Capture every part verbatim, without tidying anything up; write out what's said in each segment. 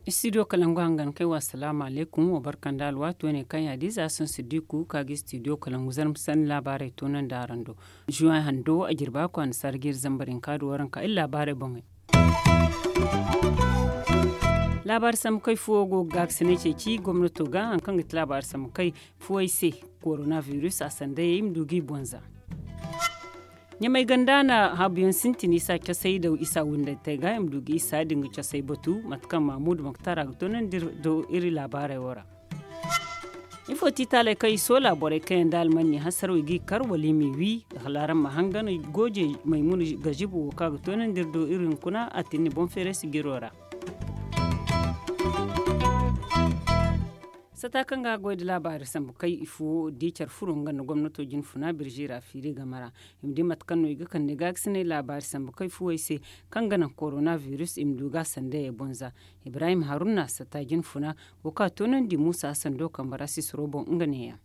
Istidiyo kalangu hangan kay wa salaamu alaykum wa barka nda alwaati wane kaŋ ya da ize a sansi diiku ka ga istidiyo kalangu zarma sanni laabaarey toonandi araŋ do. Zuwaŋ hando a jirba kwaana saara ga iri zambar hinka da waranka iri laabaarey boŋey. Laabaari sambu kay fuwo go ga gaakasinay ceeci gomnato ga hari kaŋ ga ti laabaari sambu kay fuwey se, korona virus a sandayey i ma du ga i bonza. Ɲamay ganda na haabuyaŋ sintin isa casay daw isa windantey ga i ma du ga isa din ga casay batu mate kaŋ maamudu moktar a ga toonandi do iri laabaarey wo ra. Ifo ti taaley kaŋ i soola borey kaŋ yaŋ da almanni hasarwey ga i kar wala i m'i wi? Hala araŋ ma hangan gooje maymuna gazibu wo kaŋ a ga toonandi iri do iri hunkuna a tinni boŋ feeray sijiro ra. Sata kaŋ ga goy da laabaari sambu kay ifo di care furo nga nda gomnato jinfuna birzi ra fiiri game ra. I ma di mate kaŋ no i ga kande gaakasinay laabaari sambu kay fuwey se kaŋ ga naŋ korona virus i ma du ga a sandayey bonza. Ibrahim haruna sata jinfuna wo kaŋ a toonandi muusa a sando kambe ra sisiro boŋ nga neeya.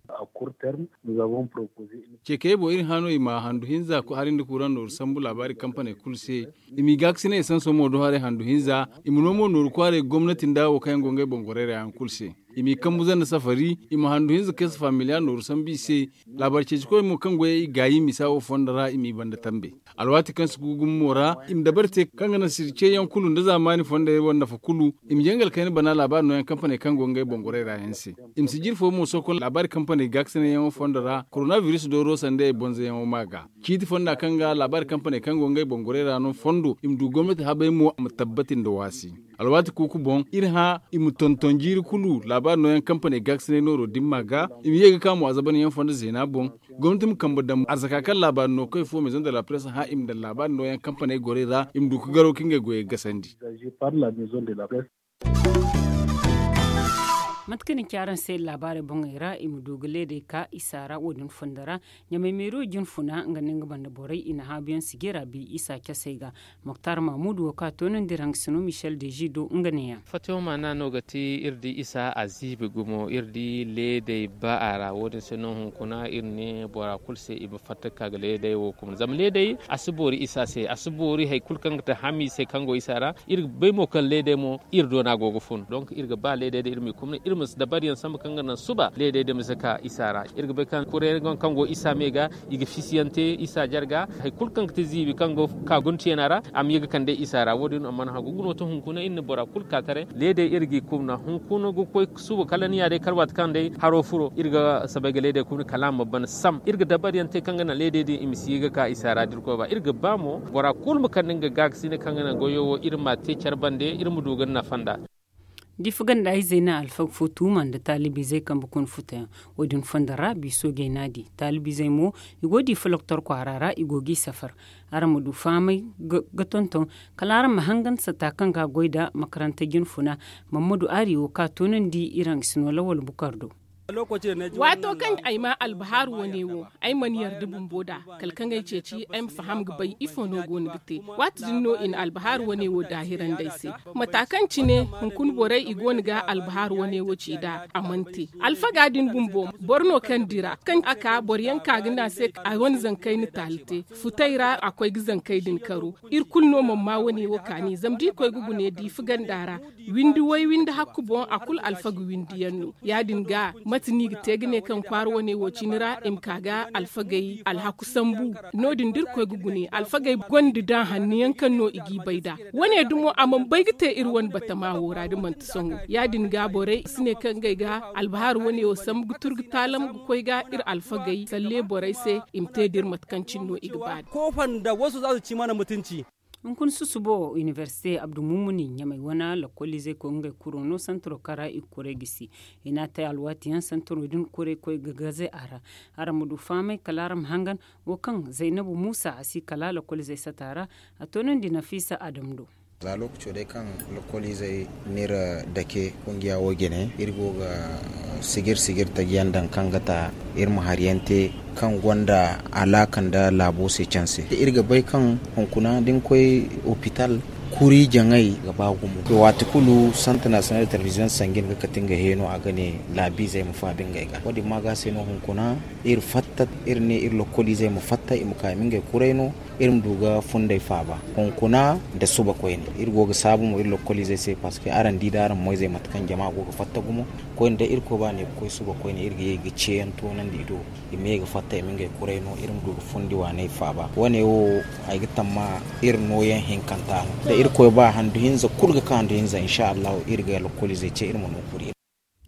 Ce kayey boŋ iri hã no i ma handu hinza hari nda kuuraŋ nooru sambu laabaari kampaney kulu se. I m'i gaakasinay esanso mo do haray handu hinza. I ma no mo nooru kwaaray gomnati nda wo kaŋ yaŋ go ngey boŋ gorey ra yaŋ kulu se. I m'i kambu zanda safari i ma handu hinza kaysa faamiliya nooru sambu i se. Laabaari ceecikoy mo kaŋ goyey i gaayi misa wo fondo ra i m'i banda tambe. Alwaati kaŋ si gu gumo ra i ma dabari te kaŋ ga naŋ siri ceeyaŋ kulu nda zaamaani fondey wo nafa kulu. I ma jangal kayna bana laabaari nooyaŋ kampaney kaŋ go ngey boŋ gorey ra yaŋ se. I ma si jiri fo mo sokon laabaari kampaney gaakasinayyaŋo fondo ra korona virus dooro sandayey bonzayaŋo ma ga ciiti fonda kaŋ ga laabaari kampaney kaŋ go ngey boŋ gorey ra no fondo i ma du gomnati habey mo a ma tabbati nda waasi. Alwaati kuuku boŋ iri hã i ma tonton jiiri kulu laabaari nooyaŋ kampaney gaakasinay nooro dimma ga. I ma ye ga ka mo azabanyaŋ fondo zeena boŋ. Gomnati ma kambe daŋ arzaka kaŋ laabaari no koy fo maison de la presse hã i ma daŋ laabaari nooyaŋ kampaney gorey ra i ma du ga garaw ka ngey goyey gasandi. Mate kaŋ i na ci araŋ se laabaarey boŋey ra i ma du ga leedey ka isa ra wo- din fondo ra. Ɲamay meero jinfuna nga ne nga banda borey i na haabuyaŋ sijey ra bi isa casey ga. Moktar mamudu wo kaŋ a toonandi iri haŋ ga sino michel deji do nga neeya. Fatewo maana no ga ti iri di isa a ziibi gumo iri di leedey ba a ra wo- din se no hunkuna iri ne bora kulu se i ma fatta ga ka ga leedey wo kuma zama leedey a si boori isa se a si boori hari kulu kaŋ ga ti hami se kaŋ go isa ra. Iri ga bay mo kaŋ leedey mo iri doona go ga fun donk iri ga ba leedey din iri m'i kumna iri ma si dabariyaŋ sambu kaŋ ga naŋ suba leedey din ma si ka isa ra. Iri ga bay kaŋ kurey kaŋ go isa me ga i ga fisiyaŋ te isa jarga hari kulu kaŋ ga ti ziibi kaŋ go ga ka guntiyaŋ ra a ma ye ga kande isa ra wo- din amma hagu guno to hunkuna iri na bora kulu ka taray leedey iri g'i kumna hunkuna ga koy suba kala ni ya day kala waati kaŋ day haro furo iri ga sabay ga leedey kumna kala a ma ban sam iri ga dabariyaŋ te kaŋ ga naŋ leedey din i ma si ye ga ka isa ra da iri koy ba iri ga ba mo bora kulu ma kande nga gaakasine kaŋ ga naŋ goyo wo iri ma te care bande iri ma du ga nafa nda. Difa ganda izey na alfaga fo tuuma nda taalibizey kambe kuna futa yaŋ. Wo- din fondo ra biiso gayna di taalibizey mo i go ga di foloktor kwaara ra i go ga i safar. Araŋ ma du fahamay ga tonton kala araŋ ma hangan sata kaŋ ga a goy nda makaranta jinfuna. Mammadu ari wo kaŋ a toonandi iri haŋ ga si no lawal bukar do. Waato kaŋ ay maa albahaaru wane wo ay mana yarda bumbo nd'a. Kala kaŋ ay ceeci ay ma faham ga bay ifo no go no ga te. Waati din no i na albahaaru wane wo daahirandi ay se. Mata kaŋ cine hunkuna borey i go no ga albahaaru wane wo ci nd'a a mana te. Alfaga din bumbo boro no kaŋ dira kaŋ a ka boro yaŋ ka ga ne a se a wane zankey na taali te. Futey ra a koy ga zankey din karo. Iri kulu no mana maa wane wo kaani zama da i koy ga gune diifa ganda ra. Windi way windi hakku boŋ a kulu alfaga windi yaŋ no. Ya- din ga mate no i ga te ga ne kaŋ kwaara wane wo cine ra i ma ka ga alfagey alhaku sambu. No- din da iri koy ga gune alfagey gonda daŋ hanno yaŋ kaŋ no i g'i bay nd'a. Wane dumo a mana bay ga te iri wane batama wo ra da manti sohõ ya- din ga borey si ne kaŋ ngey ga albahaaru wane wo sambu ga tur ga taalam ga koy ga iri alfagey salle borey se i ma te da iri mate kaŋ cine no i ga ba nd'a. Hunkuna susubo inibersite abdulmumuni ɲamay wane lakkoliizey koy ngey kuro no santaro kaŋ ra i ga koray gisi. I n'a tay alwaati yaŋ santaro din koray koy ga gaze a ra. Araŋ ma du fahamay kala araŋ ma hangan wo kaŋ zaynabu muusa a si kala lakkoliizey sata ra. A toonandi nafiisa adam do. Za lookaco day kaŋ lakkoliizey n'iri dake kungiya wo jine iri go ga sijir sijir taji yaŋ daŋ kaŋ ga ta iri ma hari yaŋ te kaŋ gonda alaaka nda laabo se canse iri ga bay kaŋ hunkuna da ni koy opital Kuri jaŋay ga ba gumo. Waati kulu santa national television sanjin ga kate nga heeno a ga ne laabiizey ma faabi ngey ga wo- din ma ga se no hunkuna iri fatta iri ne iri lokkoliizey ma fatta i ma ka i ma ngey kuray no. Iri ma du ga fundey faaba hunkuna nda suba koyne. Iri go ga saabu mo iri lokkoliizey se parceque araŋ di da araŋ moyzey mate kaŋ jama go ga fatta gumo. Koyne da irkoy ba ne ga koy suba koyne iri ga ye ga ceeyaŋ toonandi i do. I ma ye ga fatta i ma ngey kuray no iri ma du ga fundi waaney faaba wo- ne wo ay ga tamma iri nooyaŋ hinkanta no da irkoy ba handu hinza kulu ga ka handu hinza insa allahu iri ga lokkoliizey ce iri ma no kuri.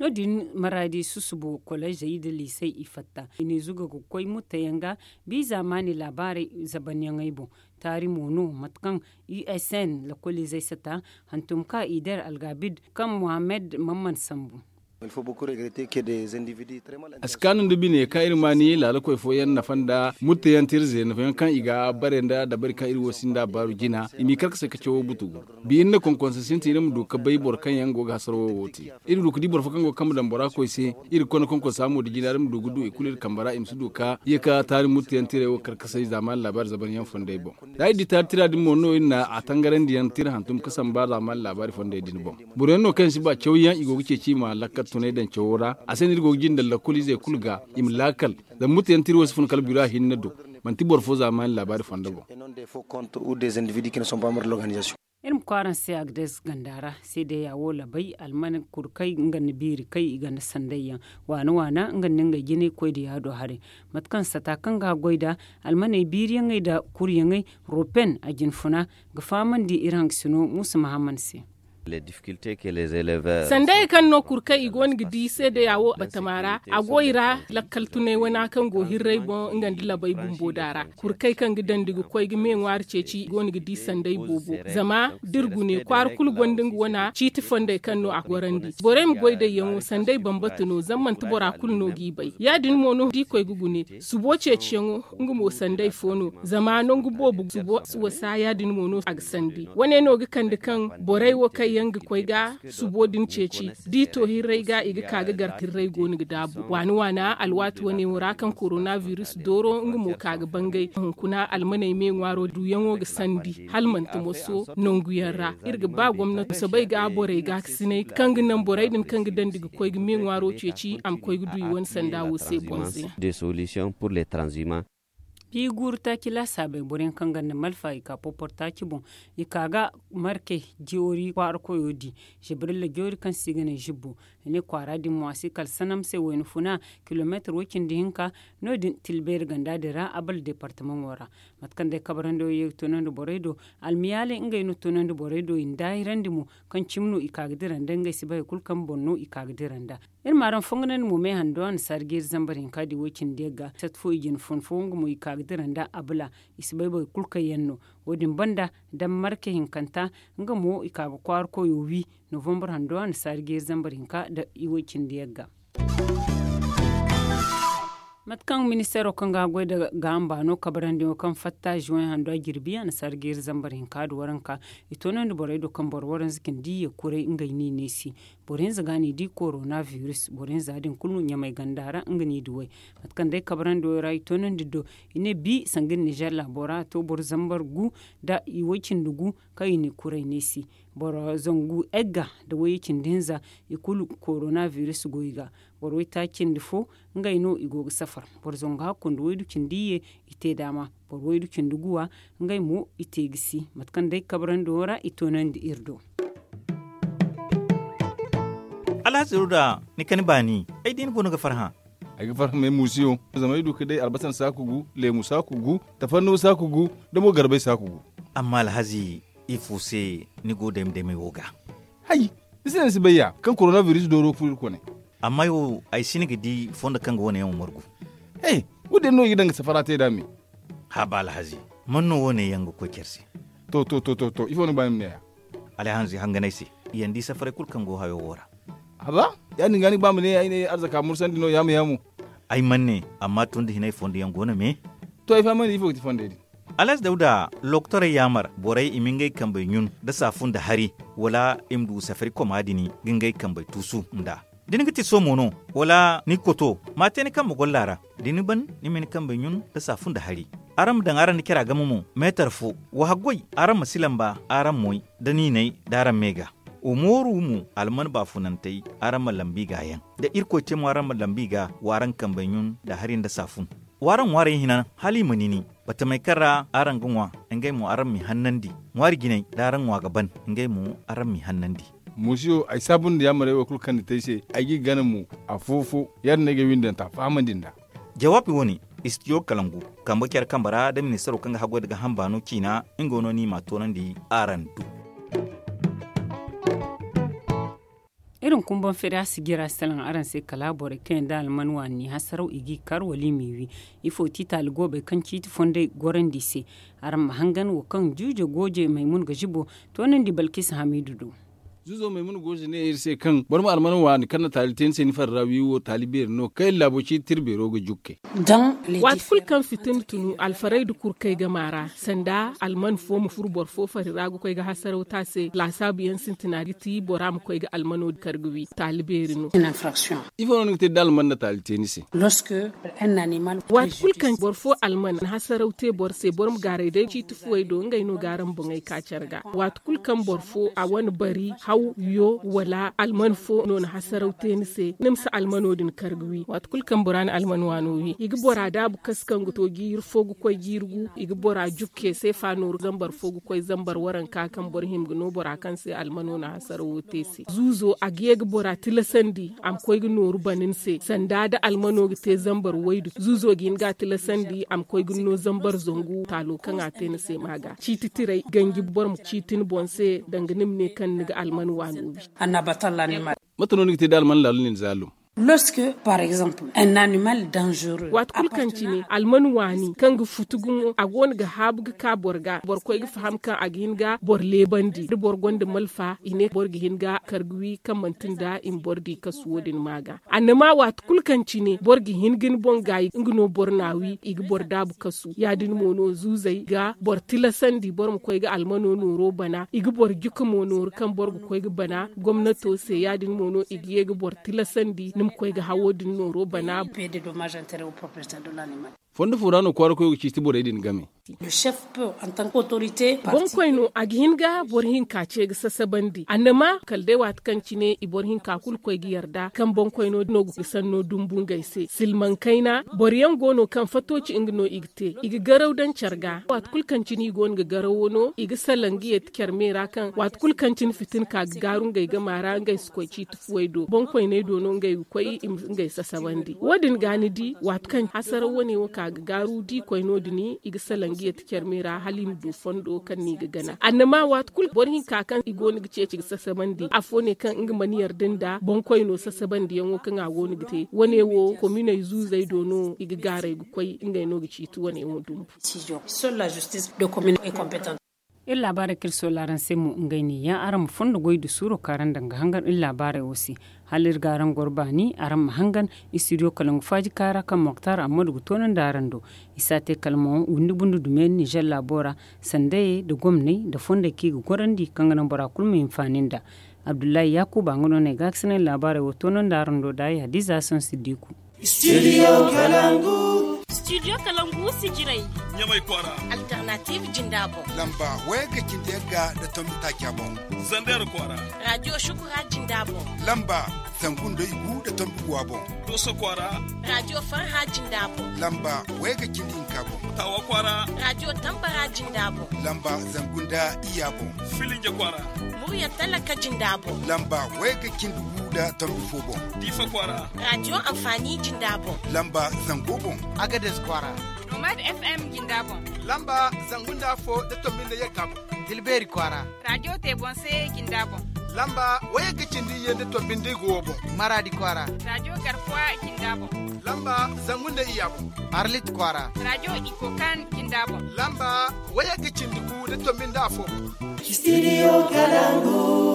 No- din maraadi susubo kolejey nda liisey i fatta i n'i zuga ga koy mutteyaŋ ga bi zaamaani laabaarey zabanyaŋey boŋ. Taari mo no mate kaŋ usn lakkoliizey sata hantum ka i der algabid kaŋ mohammed mamman sambu. A si kaanu nda bine kaŋ iri ma ni laalakoy fooyaŋ nafa nda mutteyaŋ tirze nafayaŋ kaŋ i ga bare nda dabari kaŋ iri wo sinda baaru jina i m'i karkasay ka cawo butu gu. Bi iri na konkonsa sintin iri ma du ga bay boro kaŋ yaŋ go ga hasarawo wo te. Iri du ga di boro fo kaŋ go ga kambe daŋ bora koy se iri ga konda konkonsa mo da jina iri ma du ga du i kulu iri kambe ra i ma si du ga ye ga taari mutteyaŋ tirey wo karkasay zaamaani laabaari zabanyaŋ fondey boŋ. Da ay di taari tira din mo no iri na a tangarandi yaŋ tira hantum ga samba zaamaani laabaari fondey din boŋ. Boro yaŋ no kaŋ yaŋ si ba caw yaŋ i go ga ceeci i ma lakkal tunay daŋ cawo ra. A se no iri go ga jinde lakkoliizey kulu ga i ma laakal. Zama mutteyaŋ tira wo si fun kala bira hinne do. Manti boro fo zaamaani laabaari fondo boŋ. Iri ma koy araŋ se agdes ganda ra seedeya wo labay alman kurkay nga nda biiri kay i ganda sanday yaŋ waana waana nga nda ngey jinay koy da yaado haray. Mate kaŋ sata kaŋ ga goy nd'a almaney biiriyaŋey nda kuryaŋey ropen a jinfuna ga fahamandi iri hangasino muusa mahamman se. Sanday kaŋ no kurkay i go no ga di seedeya wo batama ra a go i ra lakkal tunay wana kaŋ go hirray boŋ nga nda labay bumbo da ra. Kurkay kaŋ ga dandi ga koy ga me ŋwaari ceeci i go no ga di sanday boobo zama da iri gune kwaara kulu gonda nga wana ciiti fondey kaŋ no a gorandi borey ma goy day yaŋo sanday bambata no zama manti bora kulu no g'i bay ya- din mo no da i koy ga gune subo ceeciyaŋo nga mo sanday fo no zama nangu boobo subo wasa ya- din mo no a ga sandi wane no ga kande kaŋ borey wo kaŋ yaŋ ga koy ga subo din ceeci da i to hirray ga i ga ka ga gar hirray go no ga daabu waana waana alwaati wane wo ra kaŋ korona biris dooro nga mo ka ga bangay hunkuna almaney me ŋwaaro duyaŋo ga sandi hala manti moso nangu yaŋ ra iri ga ba gomnati ma soobay ga borey ga ga sinay kaŋ ga naŋ borey din kaŋ ga dandi ga koy ga me ŋwaaro ceeci a ma koy ga du i wane sanda wo se bonse. Bi guuru taaci laasaabey boro yaŋ kaŋ ganda malfa i ka popor taaci boŋ i ka ga marke joori kwaara koyo di. Jibrilla joori kaŋ se i ga ne zibbo i ne kwaara din mo a si kala sanam se wayna funa kilomeetar way cindi hinka. No- din tilbeeri ganda din ra abal deepartamaŋo ra. Mate kaŋ day kabarandi wo ye ga toonandi borey do almiyaalay ngey no toonandi borey do i na daahirandi mo kaŋ cimi no i ka ga dira nda ngey si bay hari kulu kaŋ boŋ no i ka ga dira nda. Iri ma araŋ fonganandi mo me hando annasaari jeeri zambar hinka da i way cindi yagga sat fo i jina fon fo nga mo i ka ga dira nda abula. I si bay boro kulu kaŋ yaŋ no wo- din banda dam marke hinkanta nga mo i ka ga kwaara koyo wi novambar hando annasaari jeeri zambar hinka da i way cindi yagga. Mate kaŋ ministeero kaŋ ga goy nda gaaham baano kabarandiyaŋo kaŋ fatta zuway hando a jirbi annasaari jeeri zambar hinka da waranka i toonandi borey do kaŋ boro waranza cindi ye kuray ngey no i ne se. Boro hinza ga no i di korona biris boro hinza din kulu ɲamay ganda ra nga no i duwey. Mate kaŋ day kabarandiyaŋo ra i toonandi do i ne bi sanga nizer laabo ra a to boro zambar gu nda i way cindi gu kaŋ i na i kuray ne se. Boro zangu egga nda wayye cindi hinza i kulu korona biris go i ga. Boro waytaaci cindi fo ngey no i go ga safar. Boro zangu hakku nda waydu cindi iyye i te daama. Boro waydu cindi guwa ngey mo i te gisi mate kaŋ day kabarandiyaŋo ra i toonandi iri do. Alhazi ruda ni kani baani ay di ni go no ga farhã. Ay ga farhã me muusiyo zama ay du ga day albasan saaku gu leemu saaku gu tafannuwa saaku gu nda mo garbay saaku gu. Amma alhazi ifo se ni go dayma daymay wo ga? Hay, ni se no ni si bay ya kaŋ korona biris dooro furo iri kone. Amma ay wo ay si ni ga di fondo kaŋ ga wane yaŋ wo margu. He, wo- din no i ga daŋ ga safara te nd'a me. Haba alhazi, man no wo- ne yaŋ ga koy care se? To to to to to ifo ni ga ba ni ma ne ya? Alhazi hangan ay se, i yaŋ di safaray kulu kaŋ go hayo wo ra. Haba, ya- din ga ni ga ba ma ne ay ne arzaka mursandi no yaamu yaamu. Ay mana ne, amma tun da hinay fondo yaŋ go no me. To ay fahamandi ifo ga ti fondey din. Alas dawda loktorey yaamar borey i ma ngey kambey ɲun nda saafu nda hari, wala i ma du safari koma din ga ngey kambey tuusu nd'a. Da ni ga ti somo no, wala ni ga koto, m'a te ni kambe golla ra. Da ni ban, ni ma ni kambey ɲun nda saafu nda hari. Araŋ ma daŋ araŋ nda cara game mo meetar fo. Wa haggoy, araŋ ma si lamba araŋ moy, da niinay da araŋ me ga. Wa mooru mo alman baafunantey, araŋ ma lambi gaayaŋ. Da irkoy te mo araŋ ma lambi ga, wa araŋ kambey ɲun nda hari nda saafun. Wa araŋ ŋwaarey hinan hala i ma nini. Batamey kaŋ ra araŋ ga ŋwa, ngey mo araŋ m'i hannandi. Ŋwaari jinay da araŋ ŋwa ga ban, ngey mo araŋ m'i hannandi. Muusiyo, ay saabu nda yaamarey wo kulu kaŋ ni te ay se. Ay g'i gana mo, afo-fo. Ya- din no ay ga ay windanta fahamandi nd'a. Jawaabi wo- ne, istidiyo kalangu, kambe care kambe ra da ministaro kaŋ ga haggoy nda gaaham baano ciina, nga no no i m'a toonandi araŋ do. Iri ma kumbaŋ feeri a si jira salaŋ araŋ se kala borey kaŋ yaŋ da alman waani n'i hasaraw i g'i kar wala i m'i wi. Ifo ti taali goobey kaŋ ciiti fondey gorandi i se? Araŋ ma hangan wo kaŋ juuje gooje maymun ga zibo toonandi balkis hamiidu do. Zuuzo maymun gooje ne iri se kaŋ boro ma alman waani kaŋ na taali te ni se ni farra wi wo taali beeri no kaŋ iri laabo ciiti tira beero ga jukke. Waati kulu kaŋ fitina tunu alfarayda kurkey game a ra, sanda alman fo ma furo boro fo fari ra ga koy ga hasaraw te a se laasaabu yaŋ sintina ga ti bora ma koy ga almano kar ga wi taali beeri no. Ifo no ni ga te da alman na taali te ni se? Waati kulu kaŋ boro fo alman na hasaraw te boro se boro ma gaaray day ciiti fuwey do ngey no ga araŋ boŋey ka care ga. Waati kulu kaŋ boro fo a wane bari haw yo wala alman fo no na hasaraw te ni se ni ma si almano din kar ga wi. Waati kulu kaŋ bora na alman waano wi i ga bora daabu kasu kaŋ ga to jiiri fo ga koy jiiri gu. I ga bora jukke seefa nooru zambar fo ga koy zambar waranka kaŋ boro hima ga no bora kaŋ se almano na hasarawo te se zuuzo a ga ye ga bora tilasandi a ma koy ga nooru bana ni se sanda da almano ga te zambar waydu zuuzo ga hin ga a tilasandi a ma koy ga ni no zambar zangu taalo kaŋ a te ni se ma ga ciiti tiray ganji boro ma ciiti ni boŋ se danga ni ma ne kaŋ ni ga alman waano wi. Mate no ni ga te da alman laalo nin zaalum? Waati kulu kaŋ cine alman waani kaŋ ga futu gumo a go no ga haabu ga ka boro ga boro koy ga faham kaŋ a ga hin ga boro leebandi da boro gonda malfa i ne boro ga hin ga kar ga wi kaŋ manti nda i ma boro di kasu wo- din ma ga. Annama waati kulu kaŋ cine boro ga hin ga ni boŋ gaayi nga no boro na wi i ga boro daabu kasu ya- din mo no zuuzey ga boro tilasandi boro ma koy ga almano nooro bana i ga boro juka mo nooru kaŋ boro ga koy ga bana gomnato se ya- din mo no i ga ye ga boro tilasandi ni ma koy ga hawo din nooro bana. Fondo fo ra no kwaara koyo ga ciiti borey din game. Boŋkoyno a ga hin ga boro hinka ce ga sasabandi annama kala day waati kaŋ cine i boro hinka kulu koy ga yarda kaŋ boŋkoyno no ga sanno dumbu ngey se silmaŋ kayna boro yaŋ go no kaŋ fato ci nga no i ga te i ga garaw daŋ care ga waati kulu kaŋ cine i go no ga garawo no i ga salaŋ ga ye ti care me ra kaŋ waati kulu kaŋ cine fitina ka ga gaaru ngey game a ra ngey si koy ciiti fuwey do boŋkoyney do no ngey ga koy i ma ngey sasabandi wo- din ga ni di waati kaŋ hasaraw wane wo ka ga gaaru da i koy no- din i ga salaŋ ga ye ti care me ra hala i ma du fondo kaŋ no i ga gana annama waati kulu boro hinka kaŋ i go no ga ceeci ga sasabandi afo ne kaŋ nga mana yarda nda boŋkoyno sasabandiyaŋo kaŋ a go no ga te wane wo kominey zuuzey do no i ga gaaray ga koy ngey no ga ciiti wane wo dumbu. Iri laabaarey kaŋ iri soola araŋ se mo ngey ne ya araŋ ma fondo goy nda suuro kaŋ araŋ daŋ ga hangan iri laabaarey wo se. Hala iri ga araŋ goro baani araŋ ma hangan istidiyo kalangu faaji kaara kaŋ moktar ammadu ga toonandi araŋ do. I si a te kala mo windi bundu dume nizer laabo ra sandayey nda gomney nda fondey kaŋ i ga gorandi kaŋ ga naŋ bora kulu ma hinfaani nd'a. Abdullahi yakuba nga no no ay ga a ga sinaŋ laabaarey wo toonandi araŋ do da yahadiza son siddiku. Studio kalangu. Studio kalangu sijirey. Ɲamay kwaara. Alternative jinda boŋ. Lamba wayagga cindi yagga nda tombi taaca boŋ. Zander kwaara. Radio shukura jinda boŋ. Lamba zangu nda igu nda tombi guwa boŋ. Doso kwaara. Radio farha jinda boŋ. Lamba wayagga cindi hinka boŋ. Tawa kwaara. Radio tambara jinda boŋ. Lamba zangu nda iya boŋ. Filinja kwaara. Murya talaka jinda boŋ. Lamba wayagga cindi gu nda tombi fo boŋ. Diifa kwaara. Radio amfani jinda boŋ. Lamba zango boŋ. Agades kwaara. Nomad FM jinda boŋ. Lamba zangu nda afo nda tombi nda yagga boŋ. Dilbeeri kwaara. Radio te boŋ se jinda boŋ. Lamba wayagga cindi iyye nda tombi nda igu wo boŋ. Maradi kwaara. Radio garkuwa jinda boŋ. Lamba zangu nda iya boŋ. Arlit kwaara. Radio ikokan jinda boŋ. Lamba wayagga cindi gu nda tombi nda afo boŋ. Studio kalangu.